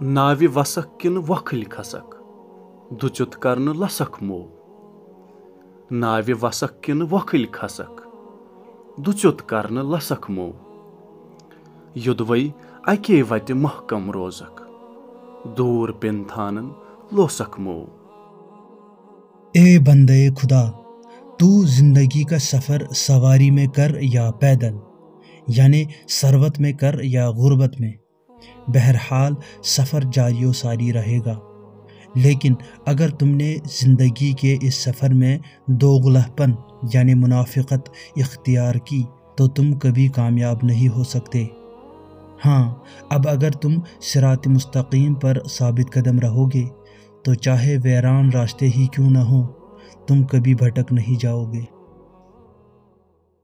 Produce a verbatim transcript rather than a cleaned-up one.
ناوِ وسکھ کِنہٕ وۄکھٕلۍ کھسکھ، دُژیُت کرنہٕ لسکھ مو۔ ناوِ وسکھ کِنہٕ وۄکھٕلۍ کھسکھ، دُژیُت کرنہٕ لسکھ مو۔ یوٚدوَے اَکے وَتہِ محکم روزکھ، دوٗر پِن تھانَن لوسکھ مو۔ اے بندے خدا، تو زندگی کا سفر سواری میں کر یا پیدل، یعنی ثروت میں کر یا غربت میں، بہرحال سفر جاری و ساری رہے گا۔ لیکن اگر تم نے زندگی کے اس سفر میں دوغلہپن یعنی منافقت اختیار کی تو تم کبھی کامیاب نہیں ہو سکتے۔ ہاں، اب اگر تم صراط مستقیم پر ثابت قدم رہو گے تو چاہے ویران راستے ہی کیوں نہ ہو، تم کبھی بھٹک نہیں جاؤ گے۔